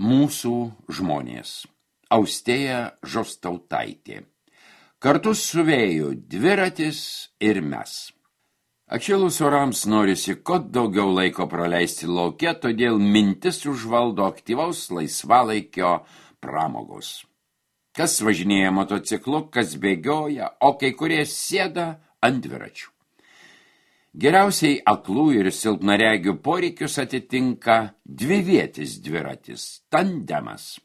Mūsų žmonės. Austėja Žostautaitė. Kartu su vėju dviratis ir mes. Atšilus orams norisi kuo daugiau laiko praleisti lauke, todėl mintis užvaldo aktyvaus laisvalaikio pramogos. Kas važinėja motociklu, kas bėgioja, o kai kurie sėda ant dviračių. Geriausiai aklų ir silpnaregių poreikius atitinka dvivietis dviratis, tandemas.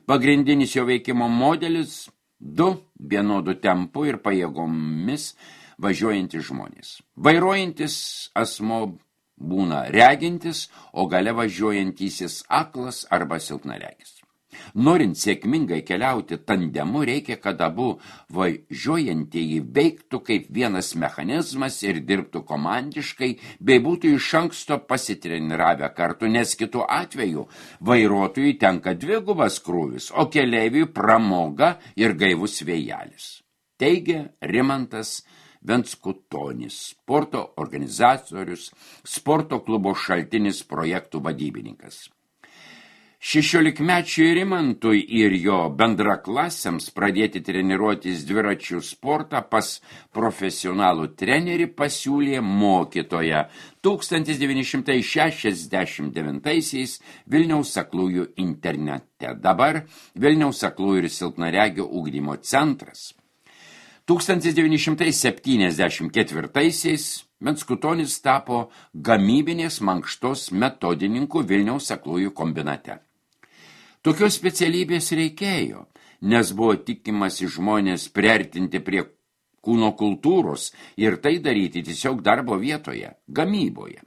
Pagrindinis jo veikimo modelis – 2 vienodų tempų ir pajėgomis važiuojantis žmonės. Vairuojantis asmo būna regintis, o gale važiuojantysis aklas arba silpnaregis. Norint sėkmingai keliauti tandemu, reikia, kad abu važiuojantieji veiktų kaip vienas mechanizmas ir dirbtų komandiškai, bei būtų iš anksto pasitreniravę kartu, nes kitu atveju vairuotojui tenka dvigubas krūvis, o keleiviui pramoga ir gaivus vėjelis. Teigia Rimantas Venskutonis, sporto organizatorius, sporto klubo Šaltinis projektų vadybininkas. 16-mečiui Rimantui ir jo bendraklasiams pradėti treniruotis dviračių sportą pas profesionalų trenerį pasiūlė mokytoja 1969 Vilniaus aklųjų internete, dabar Vilniaus aklųjų ir silpnaregių ugdymo centras. 1974 Venskutonis tapo gamybinės mankštos metodininku Vilniaus aklųjų kombinate. Tokios specialybės reikėjo, nes buvo tikimasi žmonės priartinti prie kūno kultūros ir tai daryti tiesiog darbo vietoje, gamyboje.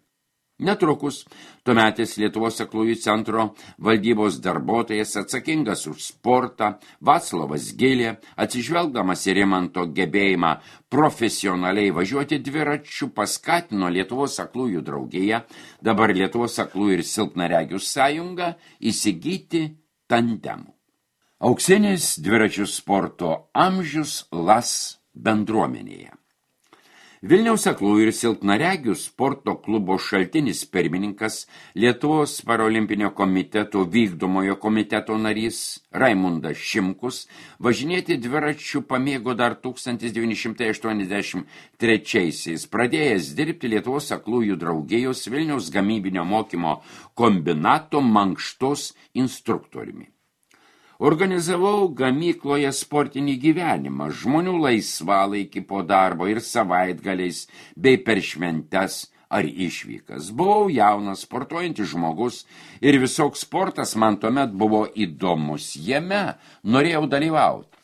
Netrukus tuometis Lietuvos aklųjų centro valdybos darbuotojas atsakingas už sportą Vaclovas Gilė, atsižvelgdamas į Rimanto gebėjimą profesionaliai važiuoti dviračiu, paskatino Lietuvos aklųjų draugiją, dabar Lietuvos aklųjų ir silpnaregių sąjungą, įsigyti tandemų. Auksinis dviračių sporto amžius LAS bendruomenėje. Vilniaus aklųjų ir silpnaregių sporto klubo Šaltinis pirmininkas, Lietuvos parolimpinio komiteto vykdomojo komiteto narys Raimundas Šimkus važinėti dviračių pamėgo dar 1983-aisiais, pradėjęs dirbti Lietuvos aklųjų draugijos Vilniaus gamybinio mokymo kombinato mankštos instruktoriumi. Organizavau gamykloje sportinį gyvenimą, žmonių laisvalaikį po darbo ir savaitgaliais, bei per šventes ar išvykas. Buvau jaunas, sportuojantis žmogus ir visoks sportas man tuomet buvo įdomus. Jame norėjau dalyvauti.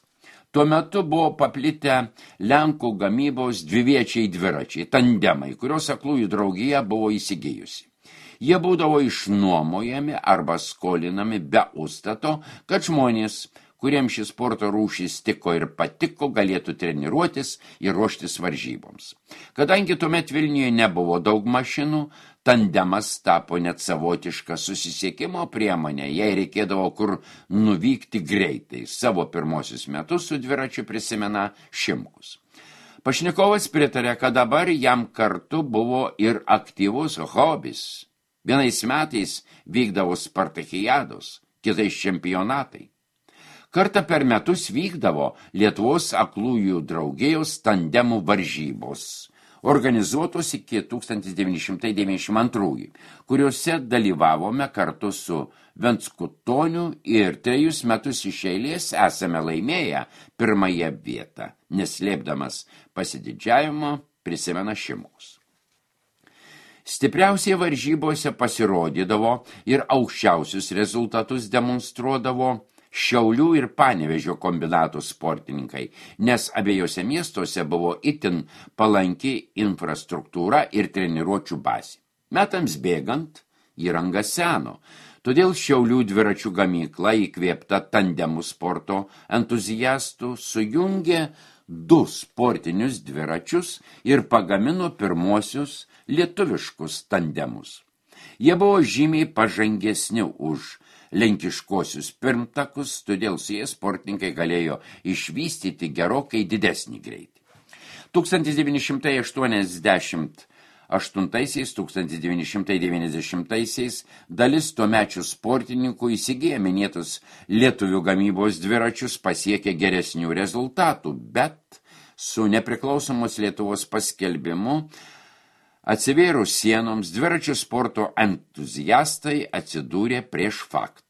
Tuo metu buvo paplitę Lenkų gamybos dviviečiai dviračiai, tandemai, kurios aklųjų draugija buvo įsigijusi. Jie būdavo išnuomojami arba skolinami be užstato, kad žmonės, kuriems šis sporto rūšis tiko ir patiko, galėtų treniruotis ir ruoštis varžyboms. Kadangi tuomet Vilniuje nebuvo daug mašinų, tandemas tapo net savotiška susisiekimo priemonė, jei reikėdavo kur nuvykti greitai. Savo pirmosius metus su dviračiu prisimena Šimkus. Pašnekovas pritarė, kad dabar jam kartu buvo ir aktyvus hobis. Vienais metais vykdavo spartakiados, kitais čempionatai. Kartą per metus vykdavo Lietuvos aklųjų draugijos tandemų varžybos, organizuotos iki 1992, kuriuose dalyvavome kartu su Venskutoniu ir 3 metus iš eilės esame laimėję pirmąją vietą, neslėpdamas pasididžiavimo, prisimena Šimkus. Stipriausiai varžybose pasirodydavo ir aukščiausius rezultatus demonstruodavo Šiaulių ir Panevėžio kombinatų sportininkai, nes abiejose miestuose buvo itin palanki infrastruktūra ir treniruočių bazė. Metams bėgant įranga seno, todėl Šiaulių dviračių gamykla įkvėpta tandemų sporto entuziastų sujungė 2 sportinius dviračius ir pagamino pirmosius lietuviškus tandemus. Jie buvo žymiai pažangesni už lenkiškosius pirmtakus, todėl su jais sportininkai galėjo išvystyti gerokai didesnį greitį. 1982 1990-1990 dalis tuomečių sportininkų įsigiję minėtus lietuvių gamybos dviračius pasiekė geresnių rezultatų, bet su nepriklausomos Lietuvos paskelbimu atsivėrus sienoms dviračių sporto entuziastai atsidūrė prieš faktą.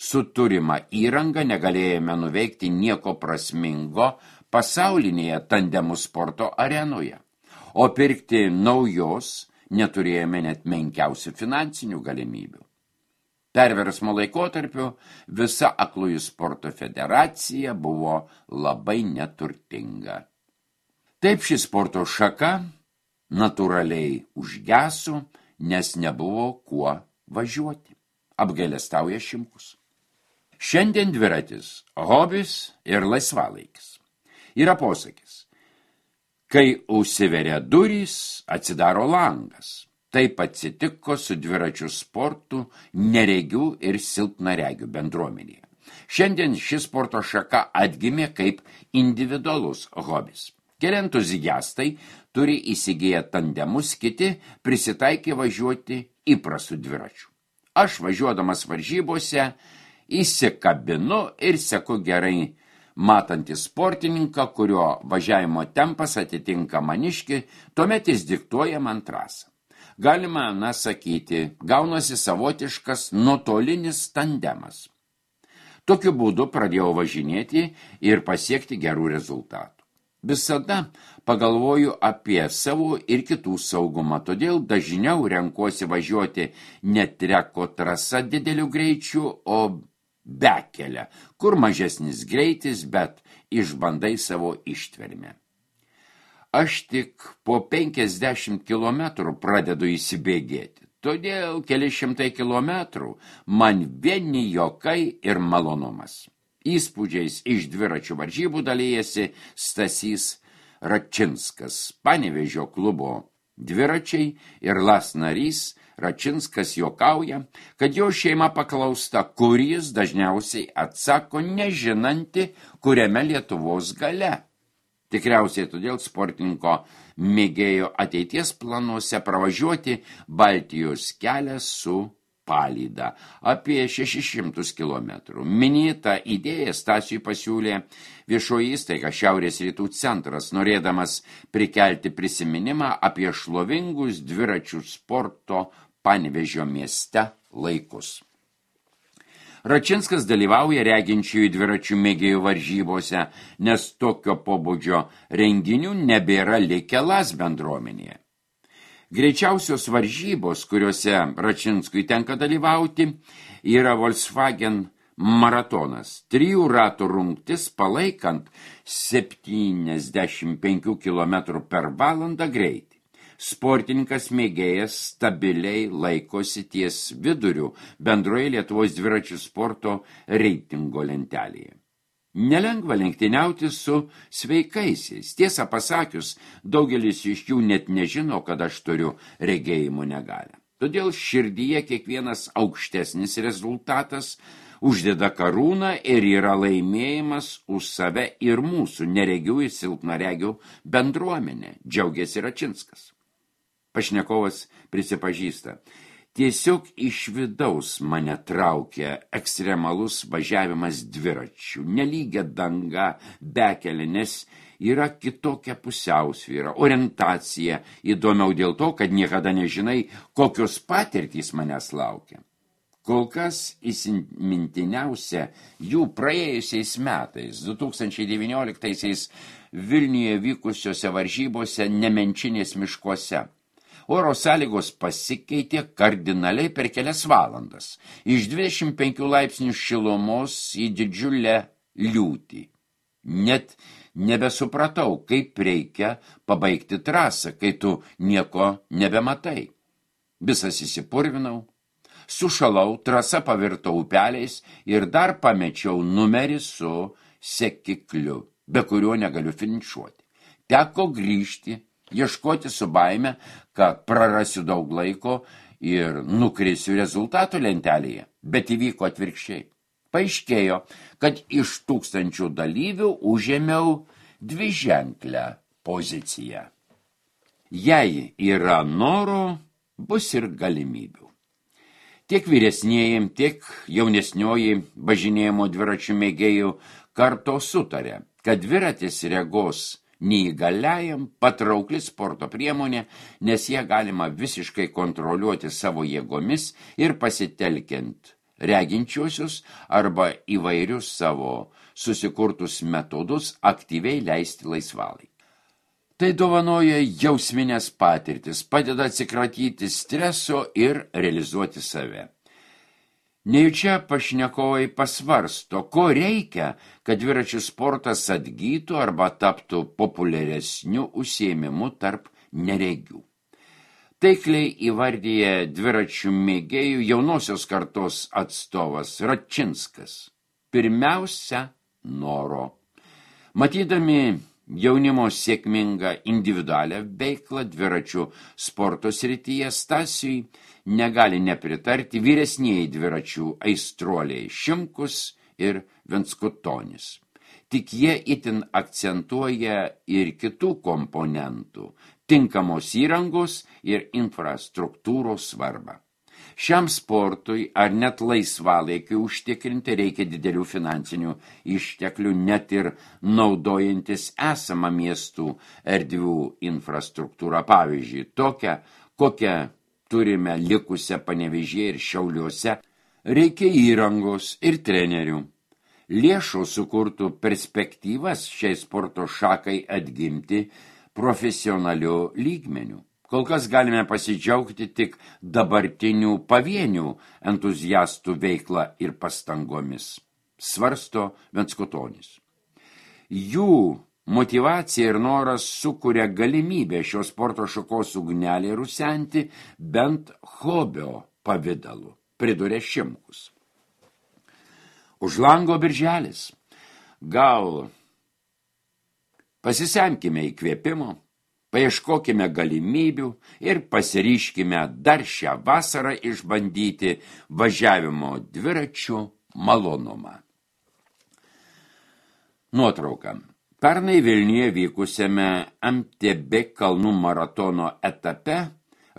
Su turima įranga negalėjome nuveikti nieko prasmingo pasaulinėje tandemų sporto arenoje. O pirkti naujos neturėjome net menkiausių finansinių galimybių. Perversmo laikotarpiu visa aklųjų sporto federacija buvo labai neturtinga. Taip ši sporto šaka natūraliai užgeso, nes nebuvo kuo važiuoti, apgailestauja Šimkus. Šiandien dviratis, hobis ir laisvalaikis. Yra posakis. Kai užsiveria durys, atsidaro langas. Taip atsitiko su dviračių sportu neregių ir silpnaregių bendruomenėje. Šiandien ši sporto šaka atgimė kaip individualus hobis. Keli entuziastai turi įsigiję tandemus, kiti prisitaikė važiuoti įprastų dviračių. Aš važiuodamas varžybose įsikabinu ir seku gerai matantį sportininką, kurio važiavimo tempas atitinka maniškį, tuomet jis diktuoja man trasą. Galima, sakyti, gaunasi savotiškas nuotolinis tandemas. Tokiu būdu pradėjau važinėti ir pasiekti gerų rezultatų. Visada pagalvoju apie savo ir kitų saugumą, todėl dažniau renkuosi važiuoti ne treko trasa dideliu greičiu, o bekelę, kur mažesnis greitis, bet išbandai savo ištvermę. Aš tik po 50 kilometrų pradedu įsibėgėti, todėl keli šimtai kilometrų man vieni juokai ir malonumas. Įspūdžiais iš dviračių varžybų dalyjasi Stasys Račinskas, Panevėžio klubo dviračiai ir LAS narys. Račinskas juokauja, kad jo šeima paklausta, kur jis dažniausiai atsako nežinanti, kuriame Lietuvos gale. Tikriausiai todėl sportininko mėgėjo ateities planuose pravažiuoti Baltijos kelią su palyda apie 600 kilometrų. Minėtą idėją Stasiui pasiūlė viešoji įstaiga Šiaurės rytų centras, norėdamas prikelti prisiminimą apie šlovingus dviračių sporto Panevėžio mieste laikus. Račinskas dalyvauja reginčiųjų dviračių mėgėjų varžybose, nes tokio pobūdžio renginių nebėra likę LAS bendruomenėje. Greičiausios varžybos, kuriuose Račinskui tenka dalyvauti, yra Volkswagen maratonas. 3 ratų rungtis palaikant 75 km per valandą greitį. Sportininkas mėgėjas stabiliai laikosi ties viduriu bendroje Lietuvos dviračių sporto reitingo lentelėje. Nelengva lenktyniauti su sveikaisiais. Tiesą pasakius, daugelis iš jų net nežino, kad aš turiu regėjimo negalią. Todėl širdyje kiekvienas aukštesnis rezultatas uždeda karūną ir yra laimėjimas už save ir mūsų neregių ir silpnaregių bendruomenę, džiaugiasi Račinskas. Pašnekovas prisipažįsta, tiesiog iš vidaus mane traukia ekstremalus važiavimas dviračių, nelygia danga, bekelė, nes yra kitokia pusiausvyra, orientacija, įdomiau dėl to, kad niekada nežinai, kokios patirtys manęs laukia. Kol kas įsimintiniausia jų praėjusiais metais, 2019 Vilniuje vykusiose varžybose Nemenčinės miškuose. Oro sąlygos pasikeitė kardinaliai per kelias valandas, iš 25 laipsnių šilumos į didžiulę liūtį. Net nebesupratau, kaip reikia pabaigti trasą, kai tu nieko nebematai. Visas įsipurvinau, sušalau, trasa pavirto upeliais ir dar pamečiau numerį su sekikliu, be kurio negaliu finišuoti. Teko grįžti, ieškoti su baime, kad prarasiu daug laiko ir nukrisiu rezultatų lentelėje, bet įvyko atvirkščiai. Paaiškėjo, kad iš 1000 dalyvių užėmiau 2ženklę poziciją. Jei yra noro, bus ir galimybių. Tiek vyresnieji, tiek jaunesnioji važinėjimo dviračių mėgėjų karto sutarė, kad dviratis regos neįgaliajam patraukli sporto priemonė, nes ją galima visiškai kontroliuoti savo jėgomis ir pasitelkiant reginčiuosius arba įvairius savo susikurtus metodus aktyviai leisti laisvalaikį. Tai dovanoja jausminės patirtis, padeda atsikratyti streso ir realizuoti save. Nejučia pašnekovai pasvarsto, ko reikia, kad dviračių sportas atgytų arba taptų populiaresniu užsiėmimu tarp neregių. Taikliai įvardyja dviračių mėgėjų jaunosios kartos atstovas Račinskas. Pirmiausia, noro. Matydami jaunimo sėkmingą individualią veiklą dviračių sporto srityje, Stasiui negali nepritarti vyresnieji dviračių aistruoliai Šimkus ir Venskutonis. Tik jie itin akcentuoja ir kitų komponentų, tinkamos įrangos ir infrastruktūros svarbą. Šiam sportui ar net laisvalaikiui užtikrinti reikia didelių finansinių išteklių, net ir naudojantis esamą miestų erdvių infrastruktūrą, pavyzdžiui, tokią, kokią turime likusią Panevėžyje ir Šiauliuose, reikia įrangos ir trenerių. Lėšų sukurtų perspektyvas šiai sporto šakai atgimti profesionaliu lygmeniu. Kol kas galime pasidžiaugti tik dabartinių pavienių entuziastų veiklą ir pastangomis, svarsto Venskutonis. Jų motyvacija ir noras sukuria galimybę šios sporto šakos ugnelį rusenti bent hobio pavidalu, priduria Šimkus. Už lango birželis. Gal pasisemkime įkvėpimo, paieškokime galimybių ir pasiryškime dar šią vasarą išbandyti važiavimo dviračių malonumą. Nuotrauka. Pernai Vilniuje vykusiame MTB kalnų maratono etape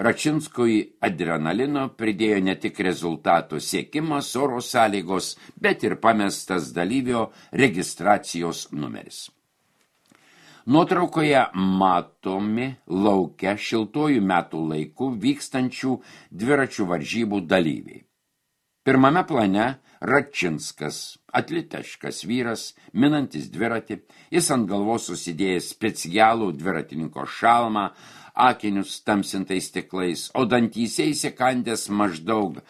Račinskui adrenalino pridėjo ne tik rezultatų siekimas, oro sąlygos, bet ir pamestas dalyvio registracijos numeris. Nuotraukoje matomi lauke šiltuoju metų laiku vykstančių dviračių varžybų dalyviai. Pirmame plane Račinskas, atletiškas vyras, minantis dviratį, jis ant galvos susidėjęs specialų dviratininko šalmą, akinius tamsintais stiklais, o dantyse įsikandęs maždaug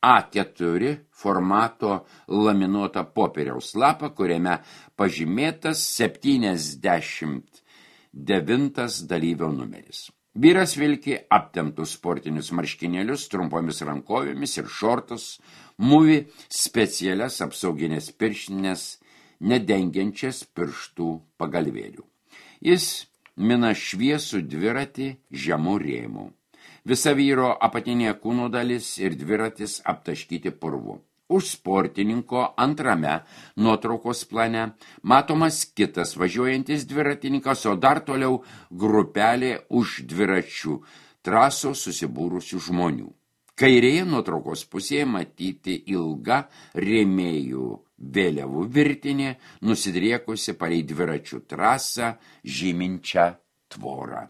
A4 formato laminuotą popieriaus lapą, kuriame pažymėtas 79 dalyvio numeris. Vyras vilki aptemptus sportinius marškinėlius, trumpomis rankovėmis ir šortus, mūvi specialias apsauginės pirštinės, nedengiančias pirštų pagalvėlių. Jis mina šviesų dviratį žemų rėmų. Visa vyro apatinė kūno dalis ir dviratis aptaškyti purvu. Už sportininko antrame nuotraukos plane matomas kitas važiuojantis dviratininkas, o dar toliau grupelė už dviračių trasos susibūrusių žmonių. Kairėje nuotraukos pusėje matyti ilga rėmėjų vėliavų virtinė, nusidriekusi palei dviračių trasą žyminčią tvorą.